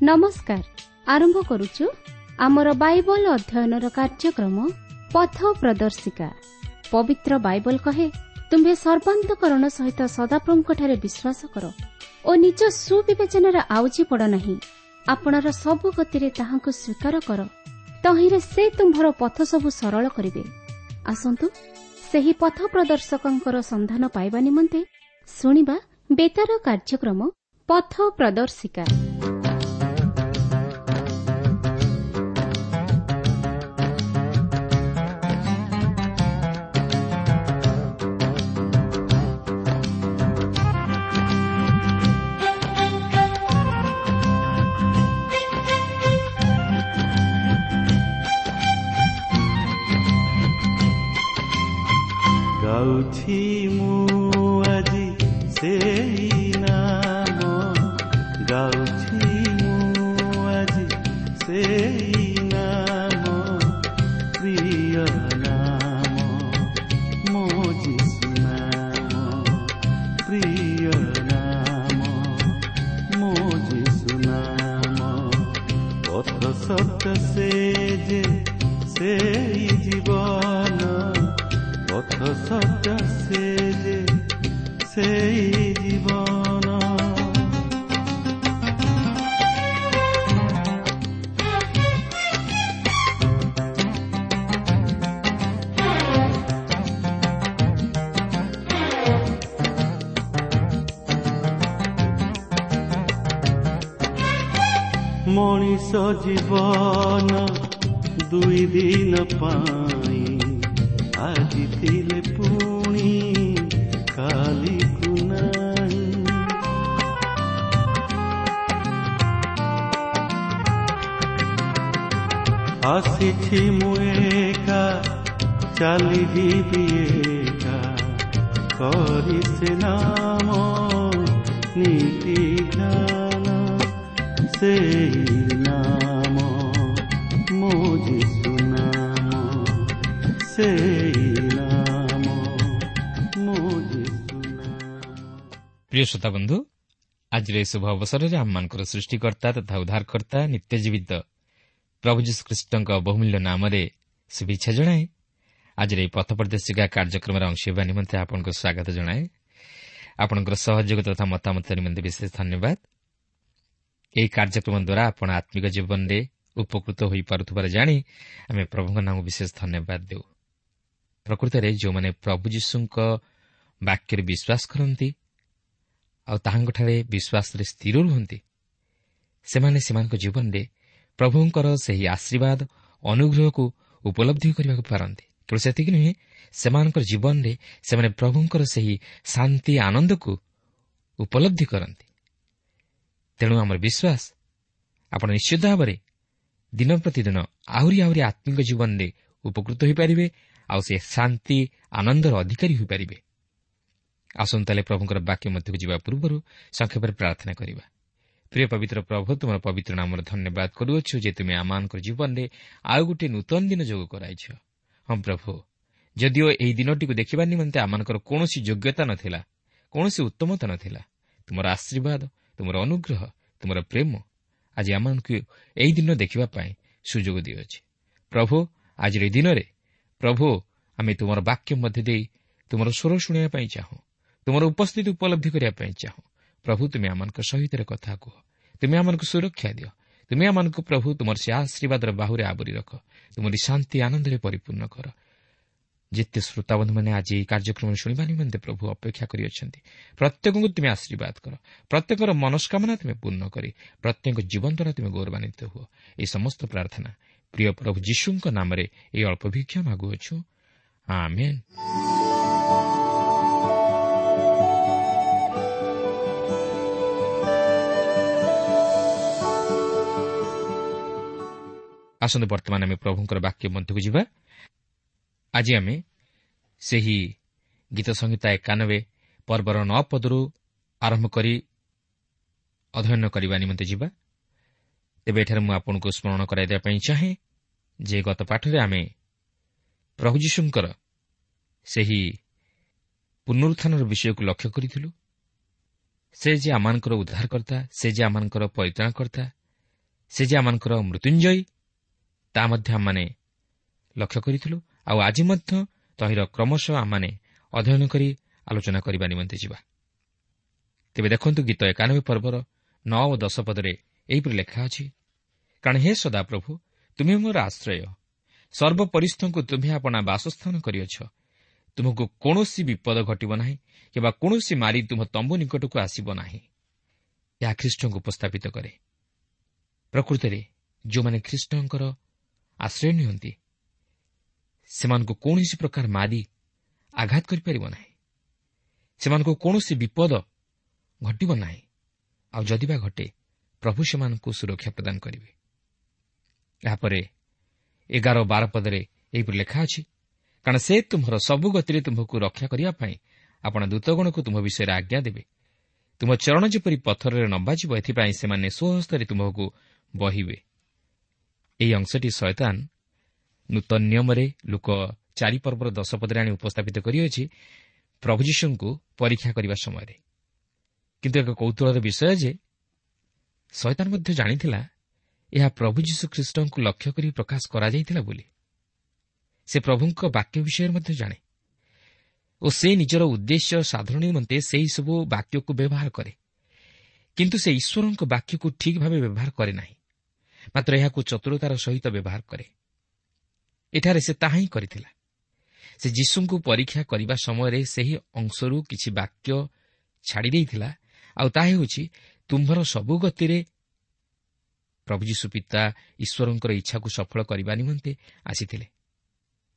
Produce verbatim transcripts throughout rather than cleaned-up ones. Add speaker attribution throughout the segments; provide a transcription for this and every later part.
Speaker 1: ନମସ୍କାର। ଆରମ୍ଭ କରୁଛୁ ଆମର ବାଇବଲ ଅଧ୍ୟୟନର କାର୍ଯ୍ୟକ୍ରମ ପଥ ପ୍ରଦର୍ଶିକା। ପବିତ୍ର ବାଇବଲ କହେ, ତୁମ୍ଭେ ସର୍ବାନ୍ତକରଣ ସହିତ ସଦାପ୍ରଭୁଙ୍କଠାରେ ବିଶ୍ୱାସ କର ଓ ନିଜ ସୁବିବେଚନାରେ ଆଉଜି ପଡ଼ ନାହିଁ। ଆପଣାର ସବୁ ଗତିରେ ତାହାଙ୍କୁ ସ୍ୱୀକାର କର, ତହିଁରେ ସେ ତୁମ୍ଭର ପଥ ସବୁ ସରଳ କରିବେ। ଆସନ୍ତୁ ସେହି ପଥ ପ୍ରଦର୍ଶକଙ୍କର ସନ୍ଧାନ ପାଇବା ନିମନ୍ତେ ଶୁଣିବା ବେତାର କାର୍ଯ୍ୟକ୍ରମ ପଥ ପ୍ରଦର୍ଶିକା।
Speaker 2: ଗାଉଛି ମୁଁ ଆଜି ସେଇ ନାମ, ଗାଉଛି ମୁଁ ଆଜି ସେଇ ନାମ, ପ୍ରିୟ ନାମ ମୋ ଯୀଶୁ ନାମ, ପ୍ରିୟ ନାମ ମୋ ଯୀଶୁ ନାମ। ପଥ ସତ୍ୟ ସେ ଯେ ସେଇ ଜୀବନ, ପଥ ସତ୍ୟ ସେ ଯେ ସେଇ ଜୀବନ। ମଣିଷ ଜୀବନ ଦୁଇ ଦିନ ପାଇଁ, ଆଜି ଥିଲେ ପୁଣି କାଲିକୁ ନାହିଁ। ଆସିଛି ମୁଁ ଏକା, ଚାଲିଯିବି ଏକା, କରି ସେ ନାମ ନୀତି ଧ୍ୟାନ, ସେଇ ନାମ ମୋ ଯୀଶୁ ନାମ, ସେଇ ନାମ ମୋ ଯୀଶୁ ନାମ।
Speaker 3: ପ୍ରିୟ ଶ୍ରୋତା ବନ୍ଧୁ, ଆଜିର ଏହି ଶୁଭ ଅବସରରେ ଆମମାନଙ୍କର ସୃଷ୍ଟିକର୍ତ୍ତା ତଥା ଉଦ୍ଧାରକର୍ତ୍ତା ନିତ୍ୟଜୀବିତ ପ୍ରଭୁ ଯୀଶୁଖ୍ରୀଷ୍ଟଙ୍କ ବହୁମୂଲ୍ୟ ନାମରେ ଶୁଭେଚ୍ଛା ଜଣାଏ। ଆଜିର ଏହି ପଥ ପ୍ରଦର୍ଶିକା କାର୍ଯ୍ୟକ୍ରମରେ ଅଂଶ ହେବା ନିମନ୍ତେ ଆପଣଙ୍କୁ ସ୍ୱାଗତ ଜଣାଏ। ଆପଣଙ୍କର ସହଯୋଗ ତଥା ମତାମତ ନିମନ୍ତେ ବିଶେଷ ଧନ୍ୟବାଦ। ଏହି କାର୍ଯ୍ୟକ୍ରମ ଦ୍ୱାରା ଆପଣ ଆତ୍ମିକ ଜୀବନରେ ଉପକୃତ ହୋଇପାରୁଥିବାର ଜାଣି ଆମେ ପ୍ରଭୁଙ୍କ ନାମକୁ ବିଶେଷ ଧନ୍ୟବାଦ ଦେଉ। ପ୍ରକୃତରେ ଯେଉଁମାନେ ପ୍ରଭୁ ଯୀଶୁଙ୍କ ବାକ୍ୟରେ ବିଶ୍ୱାସ କରନ୍ତି ଆଉ ତାହାଙ୍କଠାରେ ବିଶ୍ୱାସରେ ସ୍ଥିର ରୁହନ୍ତି, ସେମାନେ ସେମାନଙ୍କ ଜୀବନରେ ପ୍ରଭୁଙ୍କର ସେହି ଆଶୀର୍ବାଦ ଅନୁଗ୍ରହକୁ ଉପଲବ୍ଧି କରିବାକୁ ପାରନ୍ତି। କେବଳ ସେତିକି ନୁହେଁ, ସେମାନଙ୍କର ଜୀବନରେ ସେମାନେ ପ୍ରଭୁଙ୍କର ସେହି ଶାନ୍ତି ଆନନ୍ଦକୁ ଉପଲବ୍ଧି କରନ୍ତି। ତେଣୁ ଆମର ବିଶ୍ୱାସ ଆପଣ ନିଶ୍ଚିତ ଭାବରେ ଦିନ ପ୍ରତିଦିନ ଆହୁରି ଆହୁରି ଆତ୍ମିକ ଜୀବନରେ ଉପକୃତ ହୋଇପାରିବେ ଆଉ ସେ ଶାନ୍ତି ଆନନ୍ଦର ଅଧିକାରୀ ହୋଇପାରିବେ। ଆସନ୍ତୁ ତାହେଲେ ପ୍ରଭୁଙ୍କର ବାକ୍ୟ ମଧ୍ୟକୁ ଯିବା ପୂର୍ବରୁ ସଂକ୍ଷେପରେ ପ୍ରାର୍ଥନା କରିବା। ପ୍ରିୟ ପବିତ୍ର ପ୍ରଭୁ, ତୁମର ପବିତ୍ର ନାମର ଧନ୍ୟବାଦ କରୁଅଛୁ ଯେ ତୁମେ ଆମମାନଙ୍କର ଜୀବନରେ ଆଉ ଗୋଟିଏ ନୂତନ ଦିନ ଯୋଗ କରାଇଛ। ହଁ ପ୍ରଭୁ, ଯଦିଓ ଏହି ଦିନଟିକୁ ଦେଖିବା ନିମନ୍ତେ ଆମମାନଙ୍କର କୌଣସି ଯୋଗ୍ୟତା ନଥିଲା, କୌଣସି ଉତ୍ତମତା ନଥିଲା, ତୁମର ଆଶୀର୍ବାଦ, ତୁମର ଅନୁଗ୍ରହ, ତୁମର ପ୍ରେମ ଆଜି ଆମମାନଙ୍କୁ ଏହି ଦିନ ଦେଖିବା ପାଇଁ ସୁଯୋଗ ଦିଅଛି। ପ୍ରଭୁ, ଆଜିର ଏହି ଦିନରେ ପ୍ରଭୁ ଆମେ ତୁମର ବାକ୍ୟ ମଧ୍ୟ ଦେଇ ତୁମର ସ୍ୱର ଶୁଣିବା ପାଇଁ ଚାହୁଁ, ତୁମର ଉପସ୍ଥିତି ଉପଲବ୍ଧି କରିବା ପାଇଁ ଚାହୁଁ। ପ୍ରଭୁ, ତୁମେ ଆମମାନଙ୍କ ସହିତ କଥା କୁହ, ତୁମେ ଆମମାନଙ୍କୁ ସୁରକ୍ଷା ଦିଅ, ତୁମେ ଆମମାନଙ୍କୁ ପ୍ରଭୁ ତୁମର ସେ ଆଶୀର୍ବାଦର ବାହୁରେ ଆବରି ରଖ, ତୁମରି ଶାନ୍ତି ଆନନ୍ଦରେ ପରିପୂର୍ଣ୍ଣ କର। ଯେତେ ଶ୍ରୋତାବନ୍ଧୁମାନେ ଆଜି ଏହି କାର୍ଯ୍ୟକ୍ରମ ଶୁଣିବା ନିମନ୍ତେ ପ୍ରଭୁ ଅପେକ୍ଷା କରିଅଛନ୍ତି, ପ୍ରତ୍ୟେକଙ୍କୁ ତୁମେ ଆଶୀର୍ବାଦ କର, ପ୍ରତ୍ୟେକର ମନସ୍କାମନା ତୁମେ ପୂର୍ଣ୍ଣ କରି ପ୍ରତ୍ୟେକ ଜୀବନ ଦ୍ୱାରା ତୁମେ ଗୌରବାନ୍ୱିତ ହୁଅ। ଏହି ସମସ୍ତ ପ୍ରାର୍ଥନା ପ୍ରିୟ ପ୍ରଭୁ ଯୀଶୁଙ୍କ ନାମରେ ଏହି ଅଳ୍ପ ଭିକ୍ଷା ମାଗୁଅଛୁ, ଆମେନ୍। ଆସନ୍ତୁ ବର୍ତ୍ତମାନ ଆମେ ପ୍ରଭୁଙ୍କର ବାକ୍ୟ ମଧ୍ୟକୁ ଯିବା। ଆଜି ଆମେ ସେହି ଗୀତ ସଂହିତା ଏକାନବେ ପର୍ବର ନଅ ପଦରୁ ଆରମ୍ଭ କରି ଅଧ୍ୟୟନ କରିବା ନିମନ୍ତେ ଯିବା। ତେବେ ଏଠାରେ ମୁଁ ଆପଣଙ୍କୁ ସ୍ମରଣ କରାଇ ଦେବା ପାଇଁ ଚାହେଁ ଯେ ଗତ ପାଠରେ ଆମେ ପ୍ରଭୁ ଯୀଶୁଙ୍କର ସେହି ପୁନରୁତ୍ଥାନର ବିଷୟକୁ ଲକ୍ଷ୍ୟ କରିଥିଲୁ। ସେ ଯେ ଆମମାନଙ୍କର ଉଦ୍ଧାରକର୍ତ୍ତା, ସେ ଯେ ଆମମାନଙ୍କର ପରିତ୍ରାଣକର୍ତ୍ତା, ସେ ଯେ ଆମମାନଙ୍କର ମୃତ୍ୟୁଞ୍ଜୟୀ ତାହା ମଧ୍ୟ ଆମମାନେ ଲକ୍ଷ୍ୟ କରିଥିଲୁ। ଆଉ ଆଜି ମଧ୍ୟ ତହିଁର କ୍ରମଶଃ ଆମମାନେ ଅଧ୍ୟୟନ କରି ଆଲୋଚନା କରିବା ନିମନ୍ତେ ଯିବା। ତେବେ ଦେଖନ୍ତୁ ଗୀତ ଏକାନବେ ପର୍ବର ନଅ ଓ ଦଶ ପଦରେ ଏହିପରି ଲେଖା ଅଛି, କାରଣ ହେ ସଦାପ୍ରଭୁ, ତୁମେ ମୋର ଆଶ୍ରୟ, ସର୍ବପରିସ୍ଥଙ୍କୁ ତୁମ୍ଭେ ଆପଣା ବାସସ୍ଥାନ କରିଅଛ। ତୁମକୁ କୌଣସି ବିପଦ ଘଟିବ ନାହିଁ କିମ୍ବା କୌଣସି ମାରି ତୁମ ତମ୍ବୁ ନିକଟକୁ ଆସିବ ନାହିଁ। ଏହା ଖ୍ରୀଷ୍ଟଙ୍କୁ ଉପସ୍ଥାପିତ କରେ। ପ୍ରକୃତରେ ଯେଉଁମାନେ ଖ୍ରୀଷ୍ଟଙ୍କର ଆଶ୍ରୟ ନିଅନ୍ତି ସେମାନଙ୍କୁ କୌଣସି ପ୍ରକାର ମାରି ଆଘାତ କରିପାରିବ ନାହିଁ, ସେମାନଙ୍କୁ କୌଣସି ବିପଦ ଘଟିବ ନାହିଁ। ଆଉ ଯଦି ବା ଘଟେ, ପ୍ରଭୁ ସେମାନଙ୍କୁ ସୁରକ୍ଷା ପ୍ରଦାନ କରିବେ। ଏହାପରେ ଏଗାର ବାର ପଦରେ ଏହିପରି ଲେଖା ଅଛି, କାରଣ ସେ ତୁମ୍ଭର ସବୁ ଗତିରେ ତୁମ୍ଭକୁ ରକ୍ଷା କରିବା ପାଇଁ ଆପଣ ଦୂତଗଣକୁ ତୁମ୍ଭ ବିଷୟରେ ଆଜ୍ଞା ଦେବେ। ତୁମ ଚରଣ ଯେପରି ପଥରରେ ନବାଜିବ, ଏଥିପାଇଁ ସେମାନେ ସ୍ୱହସ୍ତରେ ତୁମ୍ଭକୁ ବହିବେ। ଏହି ଅଂଶଟି ଶୟତାନ ନୂତନ ନିୟମରେ ଲୋକ ଚାରି ପର୍ବର ଦଶ ପଦରେ ଆଣି ଉପସ୍ଥାପିତ କରିଅଛି ପ୍ରଭୁ ଯୀଶୁଙ୍କୁ ପରୀକ୍ଷା କରିବା ସମୟରେ। କିନ୍ତୁ ଏକ କୌତୂହଳର ବିଷୟ ଯେ ଶୟତାନ ମଧ୍ୟ ଜାଣିଥିଲା ଏହା ପ୍ରଭୁ ଯୀଶୁ ଖ୍ରୀଷ୍ଟଙ୍କୁ ଲକ୍ଷ୍ୟ କରି ପ୍ରକାଶ କରାଯାଇଥିଲା ବୋଲି। ସେ ପ୍ରଭୁଙ୍କ ବାକ୍ୟ ବିଷୟରେ ମଧ୍ୟ ଜାଣେ ଓ ସେ ନିଜର ଉଦ୍ଦେଶ୍ୟ ସାଧନ ନିମନ୍ତେ ସେହିସବୁ ବାକ୍ୟକୁ ବ୍ୟବହାର କରେ। କିନ୍ତୁ ସେ ଈଶ୍ୱରଙ୍କ ବାକ୍ୟକୁ ଠିକ୍ ଭାବେ ବ୍ୟବହାର କରେ ନାହିଁ, ମାତ୍ର ଏହାକୁ ଚତୁରତାର ସହିତ ବ୍ୟବହାର କରେ। ଏଠାରେ ସେ ତାହା ହିଁ କରିଥିଲା। ସେ ଯୀଶୁଙ୍କୁ ପରୀକ୍ଷା କରିବା ସମୟରେ ସେହି ଅଂଶରୁ କିଛି ବାକ୍ୟ ଛାଡ଼ି ଦେଇଥିଲା, ଆଉ ତାହା ହେଉଛି ତୁମ୍ଭର ସବୁ ଗତିରେ ପ୍ରଭୁ ଯୀଶୁ ପିତା ଈଶ୍ୱରଙ୍କର ଇଚ୍ଛାକୁ ସଫଳ କରିବା ନିମନ୍ତେ ଆସିଥିଲେ।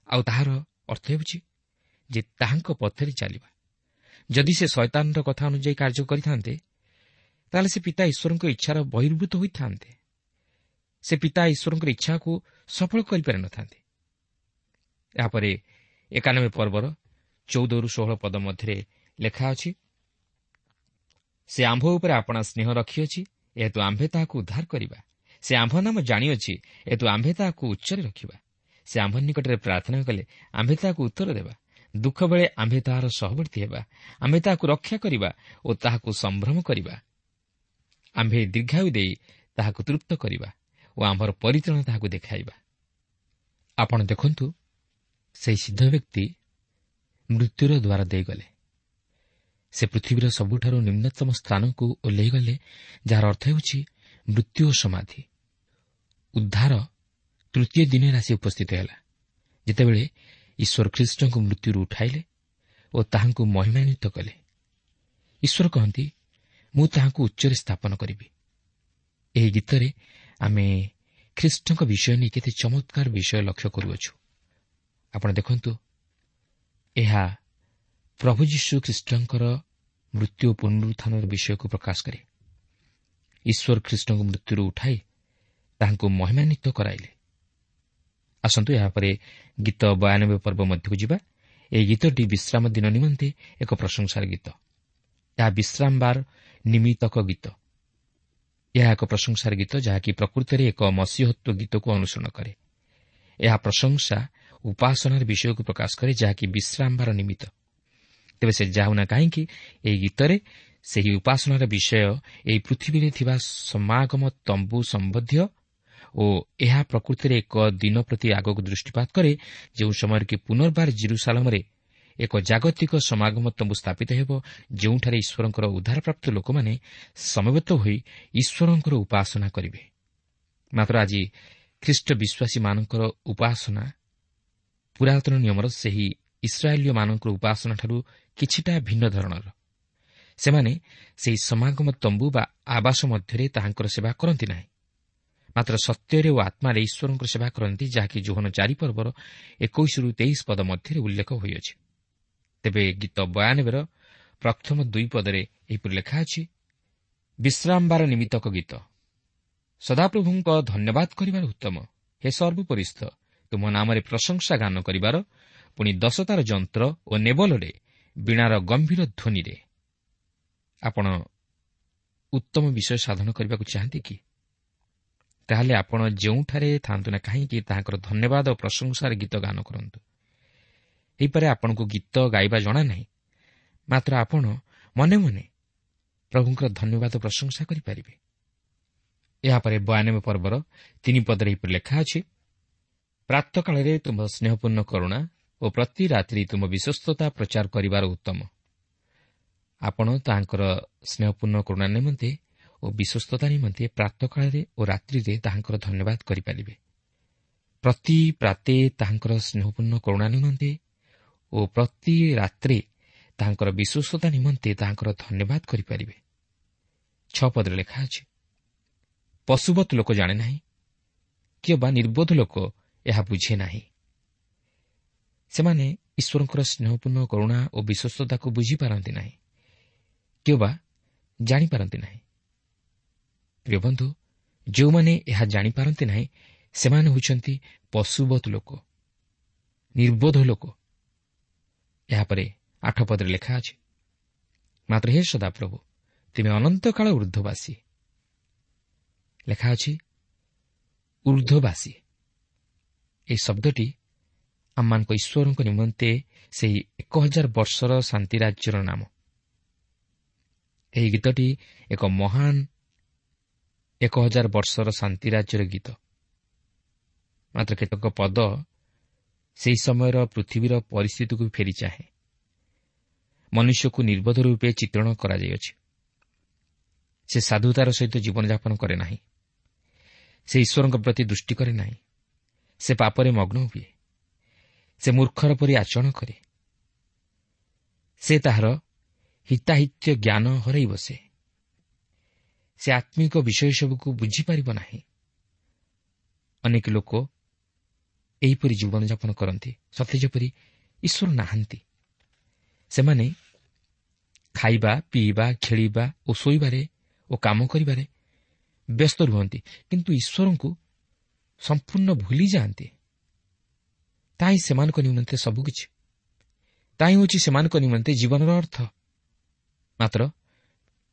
Speaker 3: ଆଉ ତାହାର ଅର୍ଥ ହେଉଛି ଯେ ତାହାଙ୍କ ପଥରେ ଚାଲିବା। ଯଦି ସେ ଶୟତାନର କଥା ଅନୁଯାୟୀ କାର୍ଯ୍ୟ କରିଥାନ୍ତେ, ତାହେଲେ ସେ ପିତା ଈଶ୍ୱରଙ୍କ ଇଚ୍ଛାର ବହିର୍ଭୂତ ହୋଇଥାନ୍ତେ। ସେ ପିତା ଈଶ୍ୱରଙ୍କର ଇଚ୍ଛାକୁ ସଫଳ କରିପାରିନଥାନ୍ତେ। ଏହାପରେ ଏକାନବେ ପର୍ବର ଚଉଦରୁ ଷୋହଳ ପଦ ମଧ୍ୟରେ ଲେଖା ଅଛି, ସେ ଆମ୍ଭ ଉପରେ ଆପଣା ସ୍ନେହ ରଖିଅଛି, ଏହେତୁ ଆମ୍ଭେ ତାହାକୁ ଉଦ୍ଧାର କରିବା। ସେ ଆମ୍ଭ ନାମ ଜାଣିଅଛି, ଏହେତୁ ଆମ୍ଭେ ତାହାକୁ ଉଚ୍ଚରେ ରଖିବା। ସେ ଆମ୍ଭ ନିକଟରେ ପ୍ରାର୍ଥନା କଲେ ଆମ୍ଭେ ତାହାକୁ ଉତ୍ତର ଦେବା। ଦୁଃଖ ବେଳେ ଆମ୍ଭେ ତାହାର ସହବର୍ତ୍ତୀ ହେବା। ଆମ୍ଭେ ତାହାକୁ ରକ୍ଷା କରିବା ଓ ତାହାକୁ ସମ୍ଭ୍ରମ କରିବା। ଆମ୍ଭେ ଦୀର୍ଘାୟୁ ଦେଇ ତାହାକୁ ତୃପ୍ତ କରିବା ଓ ଆମ୍ଭର ପରିତ୍ରାଣ ତାହାକୁ ଦେଖାଇବା। ଆପଣ ଦେଖନ୍ତୁ, ସେହି ସିଦ୍ଧ ବ୍ୟକ୍ତି ମୃତ୍ୟୁର ଦ୍ୱାର ଦେଇଗଲେ। ସେ ପୃଥିବୀର ସବୁଠାରୁ ନିମ୍ନତମ ସ୍ଥାନକୁ ଓହ୍ଲାଇଗଲେ, ଯାହାର ଅର୍ଥ ହେଉଛି ମୃତ୍ୟୁ ଓ ସମାଧି। ଉଦ୍ଧାର ତୃତୀୟ ଦିନରେ ଆସି ଉପସ୍ଥିତ ହେଲା, ଯେତେବେଳେ ଈଶ୍ୱର ଖ୍ରୀଷ୍ଟଙ୍କୁ ମୃତ୍ୟୁରୁ ଉଠାଇଲେ ଓ ତାହାଙ୍କୁ ମହିମାନ୍ୱିତ କଲେ। ଈଶ୍ୱର କହନ୍ତି, ମୁଁ ତାହାଙ୍କୁ ଉଚ୍ଚରେ ସ୍ଥାପନ କରିବି। ଏହି ଗୀତରେ ଆମେ ଖ୍ରୀଷ୍ଟଙ୍କ ବିଷୟ ନେଇ କେତେ ଚମତ୍କାର ବିଷୟ ଲକ୍ଷ୍ୟ କରୁଅଛୁ। ଆପଣ ଦେଖନ୍ତୁ, ଏହା ପ୍ରଭୁ ଯୀଶୁ ଖ୍ରୀଷ୍ଟଙ୍କର ମୃତ୍ୟୁ ଓ ପୁନରୁତ୍ଥାନର ବିଷୟକୁ ପ୍ରକାଶ କରେ। ଈଶ୍ୱର ଖ୍ରୀଷ୍ଟଙ୍କୁ ମୃତ୍ୟୁରୁ ଉଠାଇ ତାହାଙ୍କୁ ମହିମାନ୍ୱିତ କରାଇଲେ। ଆସନ୍ତୁ ଏହାପରେ ଗୀତ ବୟାନବେ ପର୍ବ ମଧ୍ୟକୁ ଯିବା। ଏହି ଗୀତଟି ବିଶ୍ରାମ ଦିନ ନିମନ୍ତେ ଏକ ପ୍ରଶଂସାର ଗୀତ। ଏହା ବିଶ୍ରାମବାର ନିମିତ୍ତକ ଗୀତ। ଏହା ଏକ ପ୍ରଶଂସାର ଗୀତ, ଯାହାକି ପ୍ରକୃତରେ ଏକ ମସିହତ୍ୱ ଗୀତକୁ ଅନୁସରଣ କରେ। ଏହା ପ୍ରଶଂସା ଉପାସନାର ବିଷୟକୁ ପ୍ରକାଶ କରେ, ଯାହାକି ବିଶ୍ରାମବାର ନିମିତ୍ତ। ତେବେ ସେ ଯାଉନା କାହିଁକି, ଏହି ଗୀତରେ ସେହି ଉପାସନାର ବିଷୟ ଏହି ପୃଥିବୀରେ ଥିବା ସମାଗମ ତମ୍ବୁ ସମ୍ବନ୍ଧୀୟ ଓ ଏହା ପ୍ରକୃତିରେ ଏକ ଦିନ ପ୍ରତି ଆଗକୁ ଦୃଷ୍ଟିପାତ କରେ, ଯେଉଁ ସମୟରେ କି ପୁନର୍ବାର ଜିରୁସାଲମରେ ଏକ ଜାଗତିକ ସମାଗମ ତମ୍ବୁ ସ୍ଥାପିତ ହେବ, ଯେଉଁଠାରେ ଈଶ୍ୱରଙ୍କର ଉଦ୍ଧାରପ୍ରାପ୍ତ ଲୋକମାନେ ସମବେତ ହୋଇ ଈଶ୍ୱରଙ୍କର ଉପାସନା କରିବେ। ମାତ୍ର ଆଜି ଖ୍ରୀଷ୍ଟ ବିଶ୍ୱାସୀମାନଙ୍କର ଉପାସନା ପୁରାତନ ନିୟମର ସେହି ଇସ୍ରାଏଲୀୟମାନଙ୍କର ଉପାସନାଠାରୁ କିଛିଟା ଭିନ୍ନ ଧରଣର। ସେମାନେ ସେହି ସମାଗମ ତମ୍ବୁ ବା ଆବାସ ମଧ୍ୟରେ ତାହାଙ୍କର ସେବା କରନ୍ତି ନାହିଁ, ମାତ୍ର ସତ୍ୟରେ ଓ ଆତ୍ମାରେ ଈଶ୍ୱରଙ୍କର ସେବା କରନ୍ତି, ଯାହାକି ଯୋହନ ଚାରି ପର୍ବର ଏକୋଇଶରୁ ତେଇଶ ପଦ ମଧ୍ୟରେ ଉଲ୍ଲେଖ ହୋଇଅଛି। ତେବେ ଗୀତ ବୟାନବେର ପ୍ରଥମ ଦୁଇ ପଦରେ ଏହିପରି ଲେଖା ଅଛି, ବିଶ୍ରାମବାର ନିମିତ୍ତକ ଗୀତ। ସଦାପ୍ରଭୁଙ୍କ ଧନ୍ୟବାଦ କରିବାର ଉତ୍ତମ। ହେ ସର୍ବୋପରିସ୍ଥ, ତୁମ ନାମରେ ପ୍ରଶଂସା ଗାନ କରିବାର, ପୁଣି ଦଶତାର ଯନ୍ତ୍ର ଓ ନେବଲରେ ବୀଣାର ଗମ୍ଭୀର ଧ୍ୱନିରେ। ଆପଣ ଉତ୍ତମ ବିଷୟ ସାଧନ କରିବାକୁ ଚାହାନ୍ତି କି? ତାହେଲେ ଆପଣ ଯେଉଁଠାରେ ଥାଆନ୍ତୁ ନା କାହିଁକି ତାହାଙ୍କର ଧନ୍ୟବାଦ ଓ ପ୍ରଶଂସାର ଗୀତ ଗାନ କରନ୍ତୁ। ହେଇପାରେ ଆପଣଙ୍କୁ ଗୀତ ଗାଇବା ଜଣା ନାହିଁ, ମାତ୍ର ଆପଣ ମନେ ମନେ ପ୍ରଭୁଙ୍କର ଧନ୍ୟବାଦ ପ୍ରଶଂସା କରିପାରିବେ। ଏହାପରେ ବୟାନବେ ପର୍ବର ତିନି ପଦରେ ଏହିପରି ଲେଖା ଅଛି, ପ୍ରାତଃକାଳରେ ତୁମ୍ଭ ସ୍ନେହପୂର୍ଣ୍ଣ କରୁଣା ଓ ପ୍ରତି ରାତ୍ରି ତୁମ ବିଶ୍ୱସ୍ତତା ପ୍ରଚାର କରିବାର ଉତ୍ତମ। ଆପଣ ତାହାଙ୍କର ସ୍ନେହପୂର୍ଣ୍ଣ କରୁଣା ନିମନ୍ତେ ଓ ବିଶ୍ୱସ୍ତତା ନିମନ୍ତେ ପ୍ରାତଃକାଳରେ ଓ ରାତ୍ରିରେ ତାହାଙ୍କର ଧନ୍ୟବାଦ କରିପାରିବେ। ପ୍ରତି ପ୍ରାତେ ତାହାଙ୍କର ସ୍ନେହପୂର୍ଣ୍ଣ କରୁଣା ନିମନ୍ତେ ଓ ପ୍ରତି ରାତ୍ରି ତାହାଙ୍କର ବିଶ୍ୱସ୍ତତା ନିମନ୍ତେ ତାହାଙ୍କର ଧନ୍ୟବାଦ କରିପାରିବେ। ଛଅ ପଦରେ ଲେଖା ଅଛି, ପଶୁବତ୍ ଲୋକ ଜାଣେ ନାହିଁ, କିମ୍ବା ନିର୍ବୋଧ ଲୋକ ଏହା ବୁଝେ ନାହିଁ। ସେମାନେ ଈଶ୍ୱରଙ୍କର ସ୍ନେହପୂର୍ଣ୍ଣ କରୁଣା ଓ ବିଶ୍ୱସ୍ତତାକୁ ବୁଝିପାରନ୍ତି ନାହିଁ କିମ୍ବା ଜାଣିପାରନ୍ତି ନାହିଁ। ପ୍ରିୟ ବନ୍ଧୁ, ଯେଉଁମାନେ ଏହା ଜାଣିପାରନ୍ତି ନାହିଁ ସେମାନେ ହେଉଛନ୍ତି ପଶୁବତ୍ ଲୋକ, ନିର୍ବୋଧ ଲୋକ। ଏହାପରେ ଆଠ ପଦରେ ଲେଖା ଅଛି, ମାତ୍ର ହେ ସଦାପ୍ରଭୁ, ତୁମେ ଅନନ୍ତକାଳ ଉର୍ଦ୍ଧ୍ୱବାସୀ। ଲେଖା ଅଛି ଉର୍ଦ୍ଧ୍ୱବାସୀ। ଏହି ଶବ୍ଦଟି ଆମମାନଙ୍କ ଈଶ୍ୱରଙ୍କ ନିମନ୍ତେ ସେହି ଏକ ହଜାର ବର୍ଷର ଶାନ୍ତି ରାଜ୍ୟର ନାମ। ଏହି ଗୀତଟି ଏକ ମହାନ ଏକ ହଜାର ବର୍ଷର ଶାନ୍ତି ରାଜ୍ୟର ଗୀତ। ମାତ୍ର କେତେକ ପଦ ସେହି ସମୟର ପୃଥିବୀର ପରିସ୍ଥିତିକୁ ଫେରି ଚାହେଁ। ମନୁଷ୍ୟକୁ ନିର୍ବୋଧ ରୂପେ ଚିତ୍ରଣ କରାଯାଇଅଛି। ସେ ସାଧୁତାର ସହିତ ଜୀବନଯାପନ କରେ ନାହିଁ। ସେ ଈଶ୍ୱରଙ୍କ ପ୍ରତି ଦୃଷ୍ଟି କରେ ନାହିଁ। ସେ ପାପରେ ମଗ୍ନ ହୁଏ। ସେ ମୂର୍ଖର ପରି ଆଚରଣ କରେ। ସେ ତାହାର ହିତାହିତ୍ୟ ଜ୍ଞାନ ହରାଇ ବସେ। ସେ ଆତ୍ମିକ ବିଷୟ ସବୁକୁ ବୁଝିପାରିବ ନାହିଁ। ଅନେକ ଲୋକ ଏହିପରି ଜୀବନଯାପନ କରନ୍ତି, ସତେ ଯେପରି ଈଶ୍ୱର ନାହାନ୍ତି। ସେମାନେ ଖାଇବା, ପିଇବା, ଖେଳିବା ଓ ଶୋଇବାରେ ଓ କାମ କରିବାରେ ବ୍ୟସ୍ତ ରୁହନ୍ତି, କିନ୍ତୁ ଈଶ୍ୱରଙ୍କୁ ସମ୍ପୂର୍ଣ୍ଣ ଭୁଲି ଯାଆନ୍ତି। ତାହା ହିଁ ସେମାନଙ୍କ ନିମନ୍ତେ ସବୁକିଛି। ତାହା ହିଁ ହେଉଛି ସେମାନଙ୍କ ନିମନ୍ତେ ଜୀବନର ଅର୍ଥ। ମାତ୍ର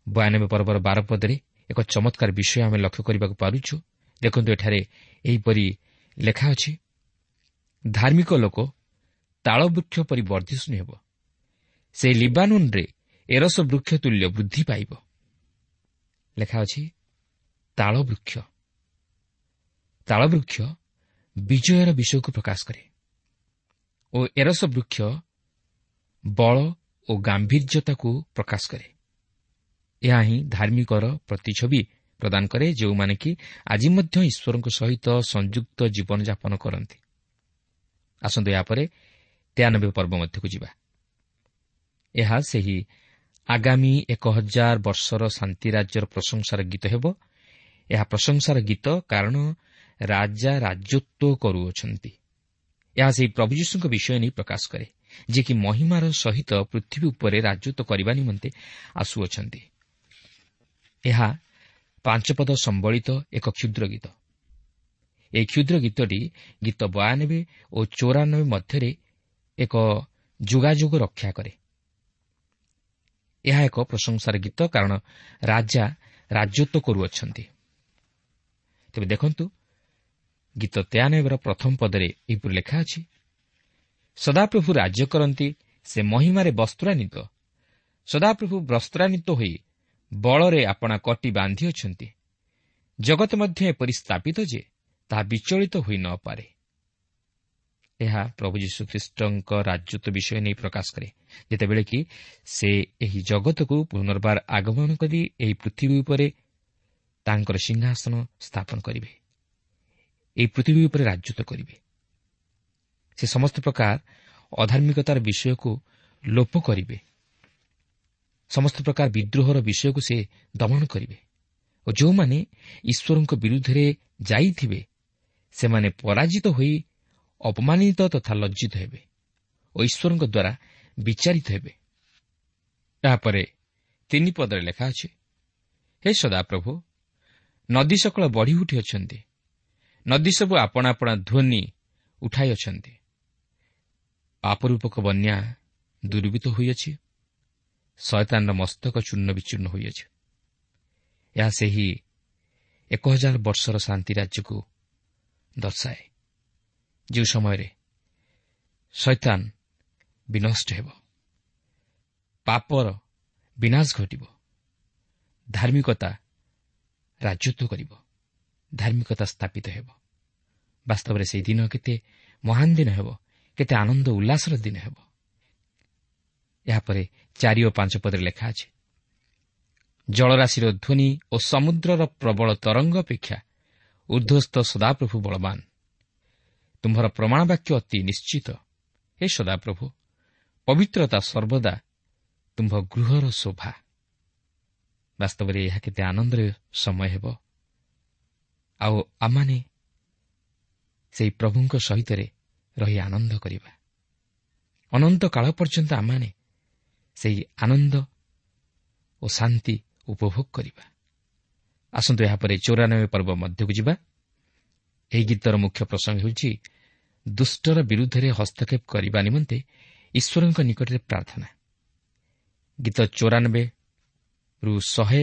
Speaker 3: ବୟାନବେ ପର୍ବର ବାର ପଦରେ ଏକ ଚମତ୍କାର ବିଷୟ ଆମେ ଲକ୍ଷ୍ୟ କରିବାକୁ ପାରୁଛୁ। ଦେଖନ୍ତୁ, ଏଠାରେ ଏହିପରି ଲେଖା ଅଛି, ଧାର୍ମିକ ଲୋକ ତାଳବୃକ୍ଷ ପରି ବର୍ଦ୍ଧିଷ୍ଣୁ ହେବ, ସେ ଲିବାନୁନରେ ଏରସ ବୃକ୍ଷ ତୁଲ୍ୟ ବୃଦ୍ଧି ପାଇବ। ଲେଖା ଅଛି ତାଳବୃକ୍ଷ। ତାଳବୃକ୍ଷ ବିଜୟର ବିଷୟକୁ ପ୍ରକାଶ କରେ ଓ ଏରସ ବୃକ୍ଷ ବଳ ଓ ଗାମ୍ଭୀର୍ଯ୍ୟତାକୁ ପ୍ରକାଶ କରେ। ଏହା ହିଁ ଧାର୍ମିକର ପ୍ରତିଛବି ପ୍ରଦାନ କରେ, ଯେଉଁମାନେ କି ଆଜି ମଧ୍ୟ ଈଶ୍ୱରଙ୍କ ସହିତ ସଂଯୁକ୍ତ ଜୀବନଯାପନ କରନ୍ତି। ଆସନ୍ତୁ ଏହାପରେ ତେୟାନବେ ପର୍ବ ମଧ୍ୟକୁ ଯିବା। ଏହା ସେହି ଆଗାମୀ ଏକ ହଜାର ବର୍ଷର ଶାନ୍ତି ରାଜ୍ୟର ପ୍ରଶଂସାର ଗୀତ ହେବ। ଏହା ପ୍ରଶଂସାର ଗୀତ, କାରଣ ରାଜା ରାଜତ୍ୱ କରୁଅଛନ୍ତି। ଏହା ସେହି ପ୍ରଭୁ ଯୀଶୁଙ୍କ ବିଷୟ ନେଇ ପ୍ରକାଶ କରେ, ଯିଏକି ମହିମାର ସହିତ ପୃଥିବୀ ଉପରେ ରାଜତ୍ୱ କରିବା ନିମନ୍ତେ ଆସୁଅଛନ୍ତି। ଏହା ପାଞ୍ଚପଦ ସମ୍ବଳିତ ଏକ କ୍ଷୁଦ୍ର ଗୀତ। ଏହି କ୍ଷୁଦ୍ର ଗୀତଟି ଗୀତ ବୟାନବେ ଓ ଚଉରାନବେ ମଧ୍ୟରେ ଏକ ଯୋଗାଯୋଗ ରକ୍ଷା କରେ। ଏହା ଏକ ପ୍ରଶଂସାର ଗୀତ, କାରଣ ରାଜା ରାଜତ୍ୱ କରୁଅଛନ୍ତି। ତେବେ ଦେଖନ୍ତୁ, ଗୀତ ତେୟାନବେର ପ୍ରଥମ ପଦରେ ଏହିପରି ଲେଖା ଅଛି, ସଦାପ୍ରଭୁ ରାଜ୍ୟ କରନ୍ତି, ସେ ମହିମାରେ ବସ୍ତ୍ରାନ୍ୱିତ। ସଦାପ୍ରଭୁ ବସ୍ତ୍ରାନ୍ୱିତ ହୋଇ ବଳରେ ଆପଣା କଟି ବାନ୍ଧିଅଛନ୍ତି। ଜଗତ ମଧ୍ୟ ଏପରି ସ୍ଥାପିତ ଯେ ତାହା ବିଚଳିତ ହୋଇ ନପାରେ। ଏହା ପ୍ରଭୁ ଯୀଶୁଖ୍ରୀଷ୍ଟଙ୍କ ରାଜତ୍ୱ ବିଷୟ ନେଇ ପ୍ରକାଶ କରେ, ଯେତେବେଳେ କି ସେ ଏହି ଜଗତକୁ ପୁନର୍ବାର ଆଗମନ କରି ଏହି ପୃଥିବୀ ଉପରେ ତାଙ୍କର ସିଂହାସନ ସ୍ଥାପନ କରିବେ, ଏହି ପୃଥିବୀ ଉପରେ ରାଜତ୍ୱ କରିବେ। ସେ ସମସ୍ତ ପ୍ରକାର ଅଧାର୍ମିକତାର ବିଷୟକୁ ଲୋପ କରିବେ, ସମସ୍ତ ପ୍ରକାର ବିଦ୍ରୋହର ବିଷୟକୁ ସେ ଦମନ କରିବେ ଓ ଯେଉଁମାନେ ଈଶ୍ୱରଙ୍କ ବିରୁଦ୍ଧରେ ଯାଇଥିବେ ସେମାନେ ପରାଜିତ ହୋଇ ଅପମାନିତ ତଥା ଲଜ୍ଜିତ ହେବେ ଓ ଈଶ୍ୱରଙ୍କ ଦ୍ୱାରା ବିଚାରିତ ହେବେ। ଏହାପରେ ତିନି ପଦରେ ଲେଖା ଅଛି, ହେ ସଦାପ୍ରଭୁ, ନଦୀ ସକଳ ବଢ଼ି ଉଠିଅଛନ୍ତି, ନଦୀ ସବୁ ଆପଣା ଆପଣା ଧ୍ୱନି ଉଠାଇଅଛନ୍ତି। ପାପରୂପକ ବନ୍ୟା ଦୁର୍ବିତ ହୋଇଅଛି, ଶୟତାନର ମସ୍ତକ ଚୂର୍ଣ୍ଣ ବିଚୂର୍ଣ୍ଣ ହୋଇଅଛି। ଏହା ସେହି ଏକ ହଜାର ବର୍ଷର ଶାନ୍ତି ରାଜ୍ୟକୁ ଦର୍ଶାଏ, ଯେଉଁ ସମୟରେ ଶୟତାନ ବିନଷ୍ଟ ହେବ, ପାପର ବିନାଶ ଘଟିବ, ଧାର୍ମିକତା ରାଜତ୍ୱ କରିବ। ଧାର୍ମିକତା ସ୍ଥାପିତ ହେବ। ବାସ୍ତବରେ ସେହି ଦିନ କେତେ ମହାନ ଦିନ ହେବ, କେତେ ଆନନ୍ଦ ଉଲ୍ଲାସର ଦିନ ହେବ। ଏହାପରେ ଚାରି ଓ ପାଞ୍ଚ ପଦରେ ଲେଖା ଅଛି, ଜଳରାଶିର ଧ୍ୱନି ଓ ସମୁଦ୍ରର ପ୍ରବଳ ତରଙ୍ଗ ଅପେକ୍ଷା ଊର୍ଦ୍ଧ୍ୱସ୍ଥ ସଦାପ୍ରଭୁ ବଳବାନ। ତୁମ୍ଭର ପ୍ରମାଣ ବାକ୍ୟ ଅତି ନିଶ୍ଚିତ। ହେ ସଦାପ୍ରଭୁ, ପବିତ୍ରତା ସର୍ବଦା ତୁମ୍ଭ ଗୃହର ଶୋଭା। ବାସ୍ତବରେ ଏହା କେତେ ଆନନ୍ଦର ସମୟ ହେବ। ଆଉ ଆମମାନେ ସେହି ପ୍ରଭୁଙ୍କ ସହିତରେ ରହି ଆନନ୍ଦ କରିବା। ଅନନ୍ତ କାଳ ପର୍ଯ୍ୟନ୍ତ ଆମମାନେ ସେହି ଆନନ୍ଦ ଓ ଶାନ୍ତି ଉପଭୋଗ କରିବା। ଆସନ୍ତୁ ଏହାପରେ ଚଉରାନବେ ପର୍ବ ମଧ୍ୟକୁ ଯିବା। ଏହି ଗୀତର ମୁଖ୍ୟ ପ୍ରସଙ୍ଗ ହେଉଛି ଦୁଷ୍ଟର ବିରୁଦ୍ଧରେ ହସ୍ତକ୍ଷେପ କରିବା ନିମନ୍ତେ ଈଶ୍ୱରଙ୍କ ନିକଟରେ ପ୍ରାର୍ଥନା। ଗୀତ ଚଉରାନବେରୁ ଶହେ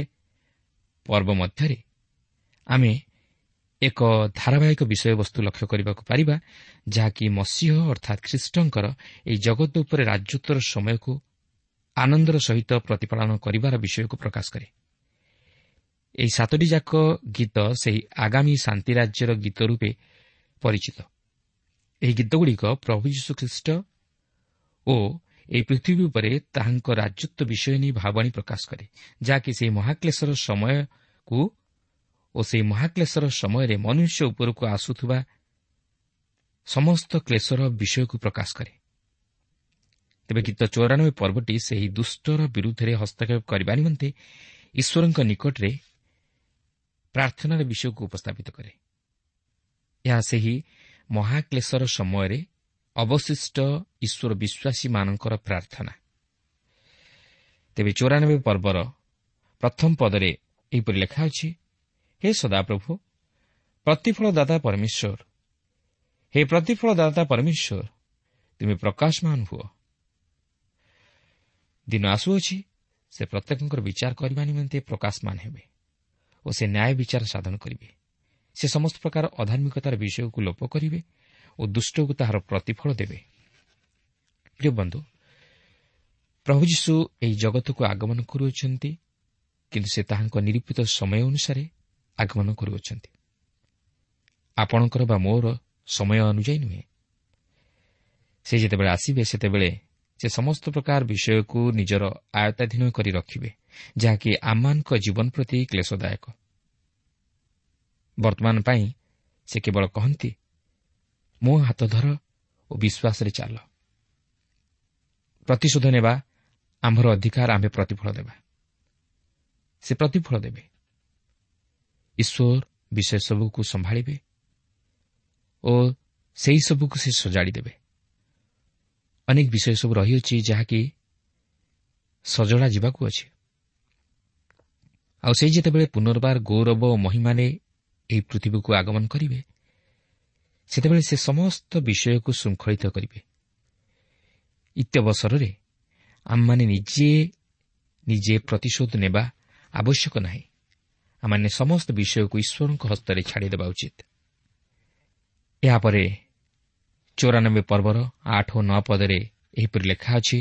Speaker 3: ପର୍ବ ମଧ୍ୟରେ ଆମେ ଏକ ଧାରାବାହିକ ବିଷୟବସ୍ତୁ ଲକ୍ଷ୍ୟ କରିବାକୁ ପାରିବା, ଯାହାକି ମସିହ ଅର୍ଥାତ୍ ଖ୍ରୀଷ୍ଟଙ୍କର ଏହି ଜଗତ ଉପରେ ରାଜତ୍ୱର ସମୟକୁ ଆନନ୍ଦର ସହିତ ପ୍ରତିପାଳନ କରିବାର ବିଷୟକୁ ପ୍ରକାଶ କରେ। ଏହି ସାତଟି ଯାକ ଗୀତ ସେହି ଆଗାମୀ ଶାନ୍ତି ରାଜ୍ୟର ଗୀତ ରୂପେ ପରିଚିତ। ଏହି ଗୀତଗୁଡ଼ିକ ପ୍ରଭୁ ଯୀଶୁଖ୍ରୀଷ୍ଟ ଓ ଏହି ପୃଥିବୀ ଉପରେ ତାହାଙ୍କ ରାଜତ୍ୱ ବିଷୟ ନେଇ ଭାବବାଣୀ ପ୍ରକାଶ କରେ, ଯାହାକି ସେହି ମହାକ୍ଲେଶର ସମୟକୁ ଓ ସେହି ମହାକ୍ଲେଶର ସମୟରେ ମନୁଷ୍ୟ ଉପରକୁ ଆସୁଥିବା ସମସ୍ତ କ୍ଲେଶର ବିଷୟକୁ ପ୍ରକାଶ କରେ। ତେବେ ଗୀତ ଚଉରାନବେ ପର୍ବଟି ସେହି ଦୁଷ୍ଟର ବିରୁଦ୍ଧରେ ହସ୍ତକ୍ଷେପ କରିବା ନିମନ୍ତେ ଈଶ୍ୱରଙ୍କ ନିକଟରେ ପ୍ରାର୍ଥନାର ବିଷୟକୁ ଉପସ୍ଥାପିତ କରେ। ଏହା ସେହି ମହାକ୍ଲେଶର ସମୟରେ ଅବଶିଷ୍ଟ ଈଶ୍ୱର ବିଶ୍ୱାସୀମାନଙ୍କର ପ୍ରାର୍ଥନା। ତେବେ ଚଉରାନବେ ପର୍ବର ପ୍ରଥମ ପଦରେ ଏହିପରି ଲେଖା ଅଛି, ହେ ସଦାପ୍ରଭୁ, ପ୍ରତିଫଳଦାତା ପରମେଶ୍ୱର, ହେ ପ୍ରତିଫଳଦାତା ପରମେଶ୍ୱର, ତୁମେ ପ୍ରକାଶମାନ ହୁଅ। ଦିନ ଆସୁଅଛି, ସେ ପ୍ରତ୍ୟେକଙ୍କର ବିଚାର କରିବା ନିମନ୍ତେ ପ୍ରକାଶମାନ ହେବେ ଓ ସେ ନ୍ୟାୟ ବିଚାର ସାଧନ କରିବେ। ସେ ସମସ୍ତ ପ୍ରକାର ଅଧାର୍ମିକତାର ବିଷୟକୁ ଲୋପ କରିବେ ଓ ଦୁଷ୍ଟକୁ ତାହାର ପ୍ରତିଫଳ ଦେବେ। ପ୍ରିୟ ବନ୍ଧୁ, ପ୍ରଭୁ ଯୀଶୁ ଏହି ଜଗତକୁ ଆଗମନ କରୁଅଛନ୍ତି, କିନ୍ତୁ ସେ ତାହାଙ୍କ ନିରୂପିତ ସମୟ ଅନୁସାରେ ଆଗମନ କରୁଅଛନ୍ତି, ଆପଣଙ୍କର ବା ମୋର ସମୟ ଅନୁଯାୟୀ ନୁହେଁ। ସେ ଯେତେବେଳେ ଆସିବେ, ସେତେବେଳେ ସେ ସମସ୍ତ ପ୍ରକାର ବିଷୟକୁ ନିଜର ଆୟତ୍ତାଧୀନ କରି ରଖିବେ, ଯାହାକି ଆମମାନଙ୍କ ଜୀବନ ପ୍ରତି କ୍ଲେଶଦାୟକ। ବର୍ତ୍ତମାନ ପାଇଁ ସେ କେବଳ କହନ୍ତି, ମୋ ହାତ ଧର ଓ ବିଶ୍ୱାସରେ ଚାଲ। ପ୍ରତିଶୋଧ ନେବା ଆମ୍ଭର ଅଧିକାର, ଆମ୍ଭେ ପ୍ରତିଫଳ ଦେବା। ସେ ପ୍ରତିଫଳ ଦେବେ। ଈଶ୍ୱର ବିଷୟ ସବୁକୁ ସମ୍ଭାଳିବେ ଓ ସେହି ସବୁକୁ ସେ ସଜାଡ଼ି ଦେବେ। ଅନେକ ବିଷୟ ସବୁ ରହିଅଛି ଯାହାକି ସଜଡ଼ା ଯିବାକୁ ଅଛି। ଆଉ ସେ ଯେତେବେଳେ ପୁନର୍ବାର ଗୌରବ ଓ ମହିମାରେ ଏହି ପୃଥିବୀକୁ ଆଗମନ କରିବେ, ସେତେବେଳେ ସେ ସମସ୍ତ ବିଷୟକୁ ଶୃଙ୍ଖଳିତ କରିବେ। ଇତ୍ୟବସରରେ ଆମମାନେ ନିଜେ ନିଜେ ପ୍ରତିଶୋଧ ନେବା ଆବଶ୍ୟକ ନାହିଁ। ଆମମାନେ ସମସ୍ତ ବିଷୟକୁ ଈଶ୍ୱରଙ୍କ ହସ୍ତରେ ଛାଡ଼ିଦେବା ଉଚିତ। ଏହାପରେ ଚଉରାନବେ ପର୍ବର ଆଠ ଓ ନଅ ପଦରେ ଏହିପରି ଲେଖା ଅଛି,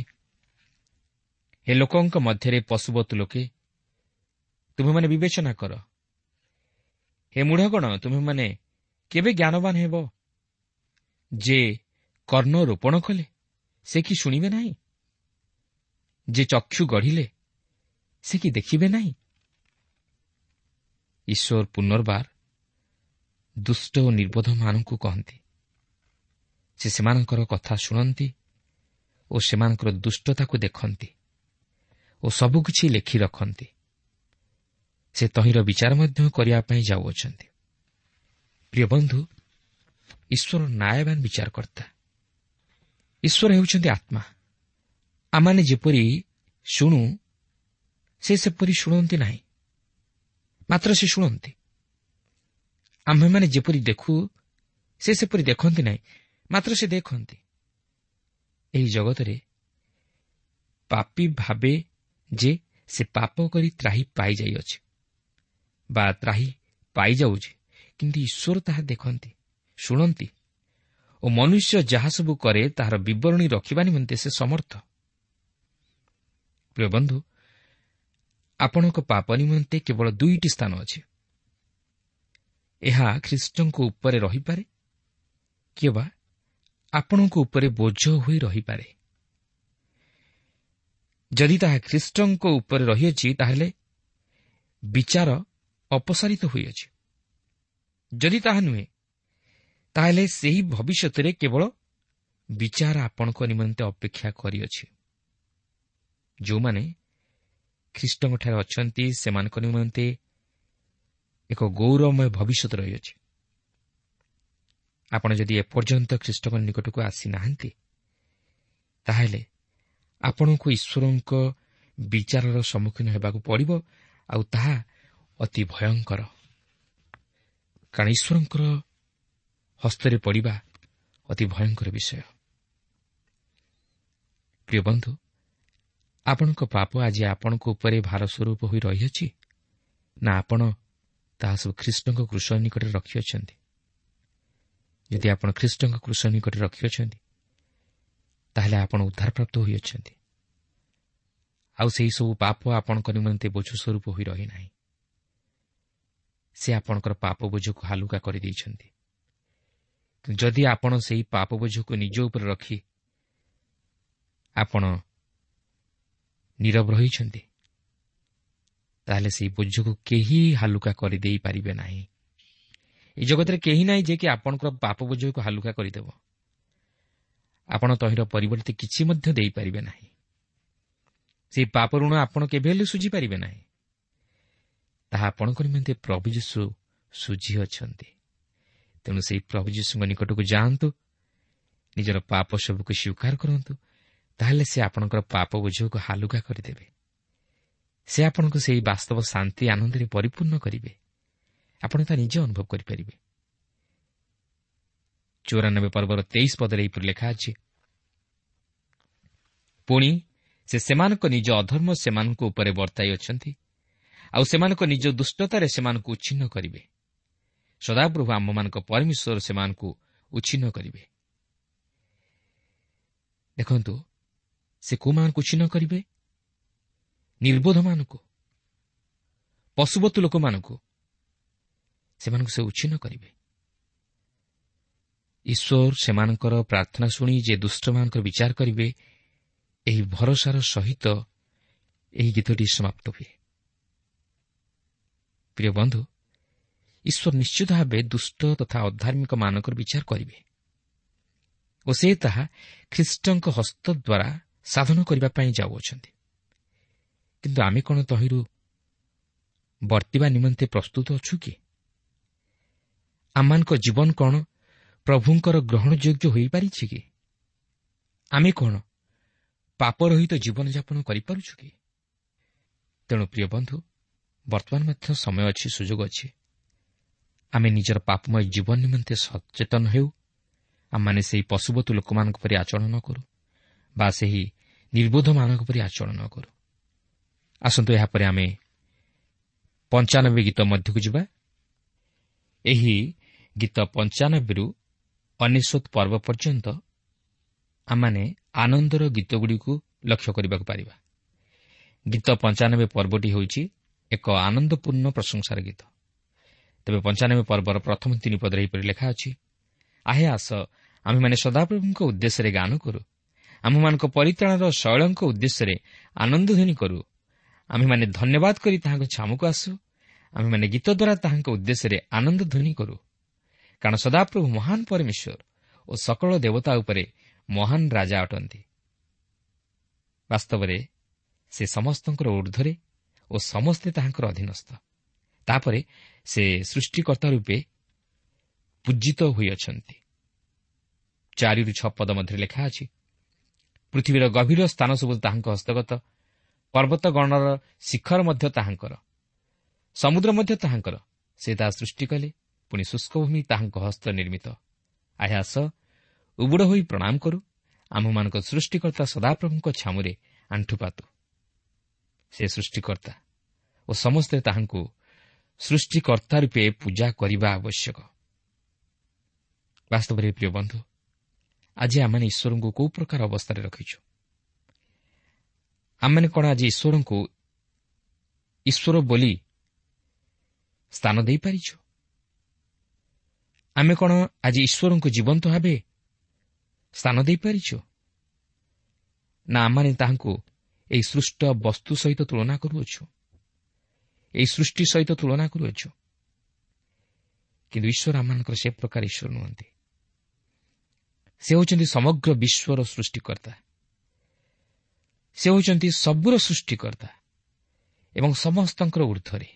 Speaker 3: ହେ ଲୋକଙ୍କ ମଧ୍ୟରେ ପଶୁବତ୍ ଲୋକେ, ତୁମେମାନେ ବିବେଚନା କର। ହେ ମୂଢ଼ଗଣ, ତୁମେମାନେ କେବେ ଜ୍ଞାନବାନ ହେବ? ଯେ କର୍ଣ୍ଣ ରୋପଣ କଲେ, ସେ କି ଶୁଣିବେ ନାହିଁ? ଯେ ଚକ୍ଷୁ ଗଢ଼ିଲେ, ସେ କି ଦେଖିବେ ନାହିଁ? ଈଶ୍ୱର ପୁନର୍ବାର ଦୁଷ୍ଟ ଓ ନିର୍ବୋଧମାନଙ୍କୁ କହନ୍ତି। ସେ ସେମାନଙ୍କର କଥା ଶୁଣନ୍ତି ଓ ସେମାନଙ୍କର ଦୁଷ୍ଟତାକୁ ଦେଖନ୍ତି ଓ ସବୁକିଛି ଲେଖି ରଖନ୍ତି। ସେ ତହିଁର ବିଚାର ମଧ୍ୟ କରିବା ପାଇଁ ଯାଉଅଛନ୍ତି। ପ୍ରିୟ ବନ୍ଧୁ, ଈଶ୍ୱର ନ୍ୟାୟବାନ ବିଚାରକର୍ତ୍ତା। ଈଶ୍ୱର ହେଉଛନ୍ତି ଆତ୍ମା। ଆମମାନେ ଯେପରି ଶୁଣୁ, ସେ ସେପରି ଶୁଣନ୍ତି ନାହିଁ, ମାତ୍ର ସେ ଶୁଣନ୍ତି। ଆମ୍ଭେମାନେ ଯେପରି ଦେଖୁ, ସେ ସେପରି ଦେଖନ୍ତି ନାହିଁ, ମାତ୍ର ସେ ଦେଖନ୍ତି। ଏହି ଜଗତରେ ପାପୀ ଭାବେ ଯେ ସେ ପାପ କରି ତ୍ରାହି ପାଇଯାଇଅଛି ବା ତ୍ରାହି ପାଇଯାଉଛି, କିନ୍ତୁ ଈଶ୍ୱର ତାହା ଦେଖନ୍ତି, ଶୁଣନ୍ତି ଓ ମନୁଷ୍ୟ ଯାହା ସବୁ କରେ ତାହାର ବିବରଣୀ ରଖିବା ନିମନ୍ତେ ସେ ସମର୍ଥ। ପ୍ରିୟ ବନ୍ଧୁ, ଆପଣଙ୍କ ପାପ ନିମନ୍ତେ କେବଳ ଦୁଇଟି ସ୍ଥାନ ଅଛି। ଏହା ଖ୍ରୀଷ୍ଟଙ୍କ ଉପରେ ରହିପାରେ କିମ୍ବା ଆପଣଙ୍କ ଉପରେ ବୋଝ ହୋଇ ରହିପାରେ। ଯଦି ତାହା ଖ୍ରୀଷ୍ଟଙ୍କ ଉପରେ ରହିଅଛି, ତାହେଲେ ବିଚାର ଅପସାରିତ ହୋଇଅଛି। ଯଦି ତାହା ନୁହେଁ, ତାହେଲେ ସେହି ଭବିଷ୍ୟତରେ କେବଳ ବିଚାର ଆପଣଙ୍କ ନିମନ୍ତେ ଅପେକ୍ଷା କରିଅଛି। ଯେଉଁମାନେ ଖ୍ରୀଷ୍ଟଙ୍କଠାରେ ଅଛନ୍ତି, ସେମାନଙ୍କ ନିମନ୍ତେ ଏକ ଗୌରବମୟ ଭବିଷ୍ୟତ ରହିଅଛି। ଆପଣ ଯଦି ଏପର୍ଯ୍ୟନ୍ତ ଖ୍ରୀଷ୍ଟଙ୍କ ନିକଟକୁ ଆସିନାହାନ୍ତି, ତାହେଲେ ଆପଣଙ୍କୁ ଈଶ୍ୱରଙ୍କ ବିଚାରର ସମ୍ମୁଖୀନ ହେବାକୁ ପଡ଼ିବ, ଆଉ ତାହା ଅତି ଭୟଙ୍କର। କାରଣ ଈଶ୍ୱରଙ୍କର ହସ୍ତରେ ପଡ଼ିବା ଅତି ଭୟଙ୍କର ବିଷୟ। ପ୍ରିୟ ବନ୍ଧୁ, ଆପଣଙ୍କ ପାପ ଆଜି ଆପଣଙ୍କ ଉପରେ ଭାର ସ୍ୱରୂପ ହୋଇ ରହିଅଛି ନା ଆପଣ ତାହା ସବୁ ଖ୍ରୀଷ୍ଟଙ୍କ କୃଷ ନିକଟରେ ରଖିଅଛନ୍ତି? ଯଦି ଆପଣ ଖ୍ରୀଷ୍ଟଙ୍କ କୃଷ ନିକଟରେ ରଖିଅଛନ୍ତି, ତାହେଲେ ଆପଣ ଉଦ୍ଧାରପ୍ରାପ୍ତ ହୋଇଅଛନ୍ତି, ଆଉ ସେହିସବୁ ପାପ ଆପଣଙ୍କ ନିମନ୍ତେ ବୋଝ ସ୍ୱରୂପ ହୋଇ ରହିନାହିଁ। ସେ ଆପଣଙ୍କର ପାପ ବୋଝକୁ ହାଲୁକା କରିଦେଇଛନ୍ତି। ଯଦି ଆପଣ ସେହି ପାପ ବୋଝକୁ ନିଜ ଉପରେ ରଖି ଆପଣ ନୀରବ ରହିଛନ୍ତି, ତାହେଲେ ସେହି ବୋଝକୁ କେହି ହାଲୁକା କରିଦେଇପାରିବେ ନାହିଁ। ଏ ଜଗତରେ କେହି ନାହିଁ ଯେ କି ଆପଣଙ୍କର ପାପ ବୋଝକୁ ହାଲୁକା କରିଦେବ। ଆପଣ ତହିଁର ପରିବର୍ତ୍ତେ କିଛି ମଧ୍ୟ ଦେଇପାରିବେ ନାହିଁ। ସେହି ପାପ ଋଣ ଆପଣ କେବେ ହେଲେ ଶୁଝିପାରିବେ ନାହିଁ। ତାହା ଆପଣଙ୍କ ନିମନ୍ତେ ପ୍ରଭୁ ଯୀଶୁ ଶୁଝିଅଛନ୍ତି। ତେଣୁ ସେହି ପ୍ରଭୁ ଯୀଶୁଙ୍କ ନିକଟକୁ ଯାଆନ୍ତୁ, ନିଜର ପାପ ସବୁକୁ ସ୍ୱୀକାର କରନ୍ତୁ, ତାହେଲେ ସେ ଆପଣଙ୍କର ପାପ ବୋଝକୁ ହାଲୁକା କରିଦେବେ। ସେ ଆପଣଙ୍କୁ ସେହି ବାସ୍ତବ ଶାନ୍ତି ଆନନ୍ଦରେ ପରିପୂର୍ଣ୍ଣ କରିବେ। ଆପଣ ତା ନିଜେ ଅନୁଭବ କରିପାରିବେ। ଚଉରାନବେ ପର୍ବର ତେଇଶ ପଦରେ ଏହିପରି ଲେଖା ଅଛି, ପୁଣି ସେ ସେମାନଙ୍କ ନିଜ ଅଧର୍ମ ସେମାନଙ୍କ ଉପରେ ବର୍ତ୍ତାଇ ଅଛନ୍ତି, ଆଉ ସେମାନଙ୍କ ନିଜ ଦୁଷ୍ଟତାରେ ସେମାନଙ୍କୁ ଉଚ୍ଛିନ୍ନ କରିବେ। ସଦାପ୍ରଭୁ ଆମ୍ଭମାନଙ୍କ ପରମେଶ୍ୱର ସେମାନଙ୍କୁ ଉଚ୍ଛିନ୍ନ କରିବେ। ଦେଖନ୍ତୁ, ସେ କେଉଁମାନଙ୍କୁ ଉଚ୍ଛିନ୍ନ କରିବେ? ନିର୍ବୋଧମାନଙ୍କୁ, ପଶୁବତୁ ଲୋକମାନଙ୍କୁ ସେମାନଙ୍କୁ ସେ ଉଚ୍ଛିନ୍ନ କରିବେ। ଈଶ୍ୱର ସେମାନଙ୍କର ପ୍ରାର୍ଥନା ଶୁଣି ଯେ ଦୁଷ୍ଟମାନଙ୍କର ବିଚାର କରିବେ, ଏହି ଭରସାର ସହିତ ଏହି ଗୀତଟି ସମାପ୍ତ ହୁଏ। ପ୍ରିୟ ବନ୍ଧୁ, ଈଶ୍ୱର ନିଶ୍ଚିତ ଭାବେ ଦୁଷ୍ଟ ତଥା ଅଧାର୍ମିକମାନଙ୍କର ବିଚାର କରିବେ ଓ ସେ ତାହା ଖ୍ରୀଷ୍ଟଙ୍କ ହସ୍ତ ଦ୍ୱାରା ସାଧନ କରିବା ପାଇଁ ଯାଉଅଛନ୍ତି। କିନ୍ତୁ ଆମେ କ'ଣ ତହିଁରୁ ବର୍ତ୍ତିବା ନିମନ୍ତେ ପ୍ରସ୍ତୁତ ଅଛୁ କି? ଆମମାନଙ୍କ ଜୀବନ କ'ଣ ପ୍ରଭୁଙ୍କର ଗ୍ରହଣଯୋଗ୍ୟ ହୋଇପାରିଛି କି? ଆମେ କ'ଣ ପାପରହିତ ଜୀବନଯାପନ କରିପାରୁଛୁ କି? ତେଣୁ ପ୍ରିୟ ବନ୍ଧୁ, ବର୍ତ୍ତମାନ ମଧ୍ୟ ସମୟ ଅଛି, ସୁଯୋଗ ଅଛି। ଆମେ ନିଜର ପାପମୟ ଜୀବନ ନିମନ୍ତେ ସଚେତନ ହେଉ। ଆମମାନେ ସେହି ପଶୁବତୁ ଲୋକମାନଙ୍କ ପରି ଆଚରଣ ନ କରୁ ବା ସେହି ନିର୍ବୋଧମାନଙ୍କ ପରି ଆଚରଣ ନ କରୁ। ଆସନ୍ତୁ ଏହାପରେ ଆମେ ପଞ୍ଚାନବେ ଗୀତ ମଧ୍ୟକୁ ଯିବା। ଏହି ଗୀତ ପଞ୍ଚାନବେରୁ ଅନେଶତ ପର୍ବ ପର୍ଯ୍ୟନ୍ତ ଆମମାନେ ଆନନ୍ଦର ଗୀତଗୁଡ଼ିକୁ ଲକ୍ଷ୍ୟ କରିବାକୁ ପାରିବା। ଗୀତ ପଞ୍ଚାନବେ ପର୍ବଟି ହେଉଛି ଏକ ଆନନ୍ଦପୂର୍ଣ୍ଣ ପ୍ରଶଂସାର ଗୀତ। ତେବେ ପଞ୍ଚାନବେ ପର୍ବର ପ୍ରଥମ ତିନି ପଦରେ ଏହିପରି ଲେଖା ଅଛି, ଆହେ ଆସ, ଆମ୍ଭେମାନେ ସଦାପ୍ରଭୁଙ୍କ ଉଦ୍ଦେଶ୍ୟରେ ଗାନ କରୁ, ଆମ୍ଭମାନଙ୍କ ପରିତ୍ରାଣର ଶୈଳଙ୍କ ଉଦ୍ଦେଶ୍ୟରେ ଆନନ୍ଦଧ୍ୱନି କରୁ। ଆମ୍ଭେମାନେ ଧନ୍ୟବାଦ କରି ତାହାଙ୍କ ଛାମୁକୁ ଆସୁ, ଆମ୍ଭେମାନେ ଗୀତ ଦ୍ୱାରା ତାହାଙ୍କ ଉଦ୍ଦେଶ୍ୟରେ ଆନନ୍ଦଧ୍ୱନି କରୁ। କାରଣ ସଦାପ୍ରଭୁ ମହାନ ପରମେଶ୍ୱର ଓ ସକଳ ଦେବତା ଉପରେ ମହାନ ରାଜା ଅଟନ୍ତି। ବାସ୍ତବରେ ସେ ସମସ୍ତଙ୍କର ଊର୍ଦ୍ଧ୍ୱରେ ଓ ସମସ୍ତେ ତାହାଙ୍କର ଅଧୀନସ୍ଥ। ତାପରେ ସେ ସୃଷ୍ଟିକର୍ତ୍ତା ରୂପେ ପୂଜିତ ହୋଇଅଛନ୍ତି। ଚାରିରୁ ଛଅ ପଦ ମଧ୍ୟରେ ଲେଖା ଅଛି, ପୃଥିବୀର ଗଭୀର ସ୍ଥାନ ସବୁ ତାହାଙ୍କ ହସ୍ତଗତ, ପର୍ବତଗଣର ଶିଖର ମଧ୍ୟ ତାହାଙ୍କର, ସମୁଦ୍ର ମଧ୍ୟ ତାହାଙ୍କର। ସେ ତାହା ସୃଷ୍ଟି କଲେ, ପୁଣି ଶୁଷ୍କ ଭୂମି ତାହାଙ୍କ ହସ୍ତ ନିର୍ମିତ। ଆହେ ଆସ, ଉବୁଡ଼ ହୋଇ ପ୍ରଣାମ କରୁ, ଆମ୍ଭମାନଙ୍କ ସୃଷ୍ଟିକର୍ତ୍ତା ସଦାପ୍ରଭୁଙ୍କ ଛାମୁରେ ଆଣ୍ଠୁପାତୁ। ସେ ସୃଷ୍ଟିକର୍ତ୍ତା ଓ ସମସ୍ତେ ତାହାଙ୍କୁ ସୃଷ୍ଟିକର୍ତ୍ତା ରୂପେ ପୂଜା କରିବା ଆବଶ୍ୟକ। ବାସ୍ତବରେ ପ୍ରିୟ ବନ୍ଧୁ, ଆଜି ଆମମାନେ ଈଶ୍ୱରଙ୍କୁ କେଉଁ ପ୍ରକାର ଅବସ୍ଥାରେ ରଖିଛୁ? ଆମମାନେ କ'ଣ ଆଜି ଈଶ୍ୱରଙ୍କୁ ଈଶ୍ୱର ବୋଲି ସ୍ଥାନ ଦେଇପାରିଛୁ? ଆମେ କ'ଣ ଆଜି ଈଶ୍ୱରଙ୍କୁ ଜୀବନ୍ତ ଭାବେ ସ୍ଥାନ ଦେଇପାରିଛୁ ନା ଆମମାନେ ତାହାଙ୍କୁ ଏହି ସୃଷ୍ଟ ବସ୍ତୁ ସହିତ ତୁଳନା କରୁଅଛୁ, ଏହି ସୃଷ୍ଟି ସହିତ ତୁଳନା କରୁଅଛୁ? କିନ୍ତୁ ଈଶ୍ୱର ଆମମାନଙ୍କର ସେ ପ୍ରକାର ଈଶ୍ୱର ନୁହନ୍ତି। ସେ ହେଉଛନ୍ତି ସମଗ୍ର ବିଶ୍ୱର ସୃଷ୍ଟିକର୍ତ୍ତା, ସେ ହେଉଛନ୍ତି ସବୁର ସୃଷ୍ଟିକର୍ତ୍ତା ଏବଂ ସମସ୍ତଙ୍କର ଊର୍ଦ୍ଧ୍ୱରେ।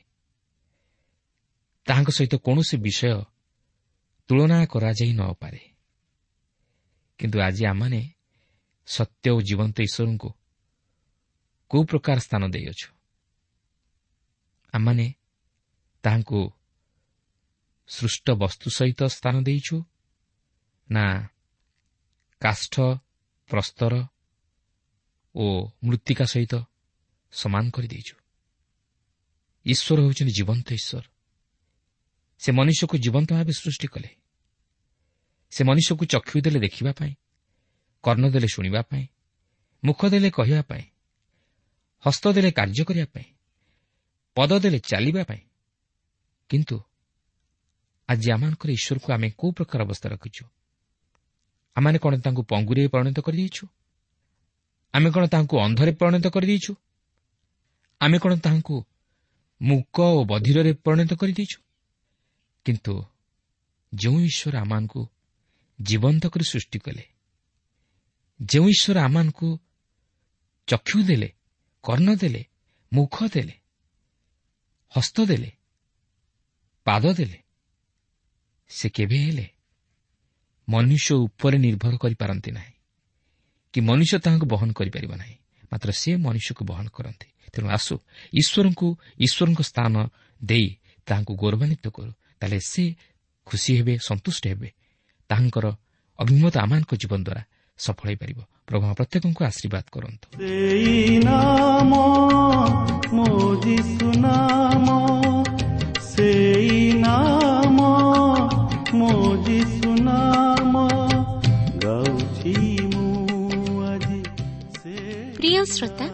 Speaker 3: ତାହାଙ୍କ ସହିତ କୌଣସି ବିଷୟ ତୁଳନା କରାଯାଇ ନପାରେ। କିନ୍ତୁ ଆଜି ଆମମାନେ ସତ୍ୟ ଓ ଜୀବନ୍ତ ଈଶ୍ୱରଙ୍କୁ କେଉଁ ପ୍ରକାର ସ୍ଥାନ ଦେଇଅଛୁ? ଆମମାନେ ତାହାଙ୍କୁ ସୃଷ୍ଟ ବସ୍ତୁ ସହିତ ସ୍ଥାନ ଦେଇଛୁ ନା କାଷ୍ଠ, ପ୍ରସ୍ତର ଓ ମୃତ୍ତିକା ସହିତ ସମାନ କରିଦେଇଛୁ? ଈଶ୍ୱର ହେଉଛନ୍ତି ଜୀବନ୍ତ ଈଶ୍ୱର। ସେ ମନୁଷ୍ୟକୁ ଜୀବନ୍ତ ଭାବେ ସୃଷ୍ଟି କଲେ। ସେ ମନୁଷ୍ୟକୁ ଚକ୍ଷୁ ଦେଲେ ଦେଖିବା ପାଇଁ, କର୍ଣ୍ଣ ଦେଲେ ଶୁଣିବା ପାଇଁ, ମୁଖ ଦେଲେ କହିବା ପାଇଁ, ହସ୍ତ ଦେଲେ କାର୍ଯ୍ୟ କରିବା ପାଇଁ, ପଦ ଦେଲେ ଚାଲିବା ପାଇଁ। କିନ୍ତୁ ଆଜି ଆମମାନଙ୍କର ଈଶ୍ୱରକୁ ଆମେ କେଉଁ ପ୍ରକାର ଅବସ୍ଥା ରଖିଛୁ? ଆମମାନେ କ'ଣ ତାଙ୍କୁ ପଙ୍ଗୁରେ ପରିଣତ କରିଦେଇଛୁ? ଆମେ କ'ଣ ତାହାଙ୍କୁ ଅନ୍ଧରେ ପରିଣତ କରିଦେଇଛୁ? ଆମେ କ'ଣ ତାହାଙ୍କୁ ମୂକ ଓ ବଧିରରେ ପରିଣତ କରିଦେଇଛୁ? କିନ୍ତୁ ଯେଉଁ ଈଶ୍ୱର ଆମମାନଙ୍କୁ ଜୀବନ୍ତ କରି ସୃଷ୍ଟି କଲେ, ଯେଉଁ ଈଶ୍ୱର ଆମମାନଙ୍କୁ ଚକ୍ଷୁ ଦେଲେ, କର୍ଣ୍ଣ ଦେଲେ, ମୁଖ ଦେଲେ, ହସ୍ତ ଦେଲେ, ପାଦ ଦେଲେ, ସେ କେବେ ହେଲେ ମନୁଷ୍ୟ ଉପରେ ନିର୍ଭର କରିପାରନ୍ତି ନାହିଁ କି ମନୁଷ୍ୟ ତାହାଙ୍କୁ ବହନ କରିପାରିବ ନାହିଁ। ମାତ୍ର ସେ ମନୁଷ୍ୟକୁ ବହନ କରନ୍ତି। ତେଣୁ ଆସୁ ଈଶ୍ୱରଙ୍କୁ ଈଶ୍ୱରଙ୍କ ସ୍ଥାନ ଦେଇ ତାହାଙ୍କୁ ଗୌରବାନ୍ୱିତ କରୁ। ତାହେଲେ ସେ ଖୁସି ହେବେ, ସନ୍ତୁଷ୍ଟ ହେବେ। ତାହାଙ୍କର ଅଭିମତ ଆମମାନଙ୍କ ଜୀବନ ଦ୍ୱାରା ସଫଳ ହୋଇପାରିବ। ପ୍ରଭୁ ପ୍ରତ୍ୟେକଙ୍କୁ ଆଶୀର୍ବାଦ କରନ୍ତୁ।
Speaker 2: ସେଇ ନାମ ମୋ ଯୀଶୁ ନାମ, ସେଇ ନାମ ମୋ ଯୀଶୁ ନାମ ଗାଉଛି ମୁଁ ଆଜି।
Speaker 1: ପ୍ରିୟ ଶ୍ରୋତା,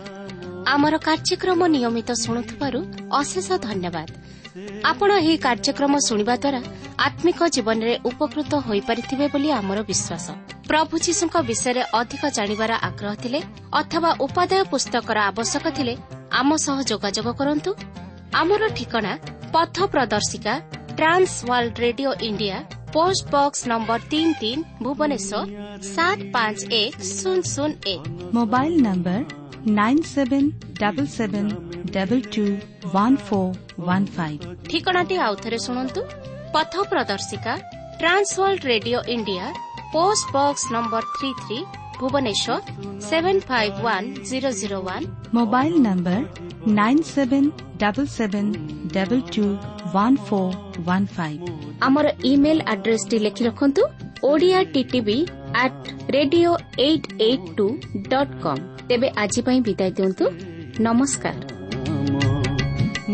Speaker 1: ଆମର କାର୍ଯ୍ୟକ୍ରମ ନିୟମିତ ଶୁଣୁଥିବାରୁ ଅଶେଷ ଧନ୍ୟବାଦ। ଆପଣ ଏହି କାର୍ଯ୍ୟକ୍ରମ ଶୁଣିବା ଦ୍ୱାରା ଆତ୍ମିକ ଜୀବନରେ ଉପକୃତ ହୋଇପାରିଥିବେ ବୋଲି ଆମର ବିଶ୍ୱାସ। ପ୍ରଭୁ ଯୀଶୁଙ୍କ ବିଷୟରେ ଅଧିକ ଜାଣିବାର ଆଗ୍ରହ ଥିଲେ ଅଥବା ଉପାଦେୟ ପୁସ୍ତକର ଆବଶ୍ୟକ ଥିଲେ ଆମ ସହ ଯୋଗାଯୋଗ କରନ୍ତୁ। ଆମର ଠିକଣା ପଥ ପ୍ରଦର୍ଶିକା, Trans World Radio India, post box number ତିନି ତିନି, ଭୁବନେଶ୍ୱର ସାତ ପାଞ୍ଚ ଏକ ଶୂନ ଶୂନ ଏକ।
Speaker 4: Mobile number nine seven double seven double two one four one five.
Speaker 1: ଠିକଣାଟି ଆଉଥରେ ଶୁଣନ୍ତୁ। ପଥ ପ୍ରଦର୍ଶିକା, Trans World Radio India, post box number three three, Bhubaneswar seven five one zero zero one.
Speaker 4: Mobile number nine seven double seven double two one four one five.
Speaker 1: ଆମର email ଆଡ୍ରେସଟି ଲେଖି ରଖନ୍ତୁ: Odia TTV at radio eight eight two dot com. ତେବେ ଆଜି ପାଇଁ ବିଦାୟ ଦିଅନ୍ତୁ। ନମସ୍କାର।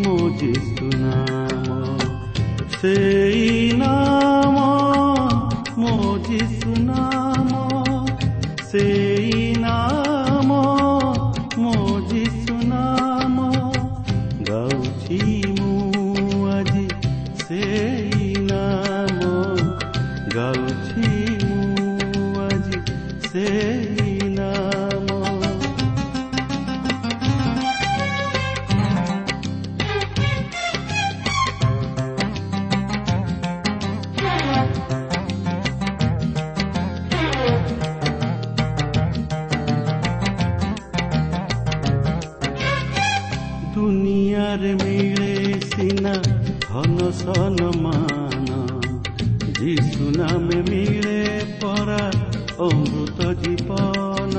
Speaker 2: ମୋ ଯୀଶୁ ନାମ, ସେଇ ନାମ ମୋ ଯୀଶୁ ନାମ, ସେଇ ନାମ ମୋ ଯୀଶୁ ନାମ ଗାଉଛି ମୁଁ ଆଜି, ସେଇ ନାମ ଗାଉଛି ମୁଁ ଆଜି, ସେଇ ନାମ। ଦୁନିଆରେ ମିଳେ ସିନା ଧନ ସନମାନ, ଯୀଶୁ ନାମେ ମିଳେ ପରା ଅମୃତ ଜୀବନ।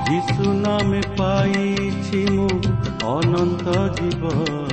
Speaker 2: ଯୀଶୁ ନାମେ ପାଇଛି ମୁଁ ଅନନ୍ତ ଜୀବନ।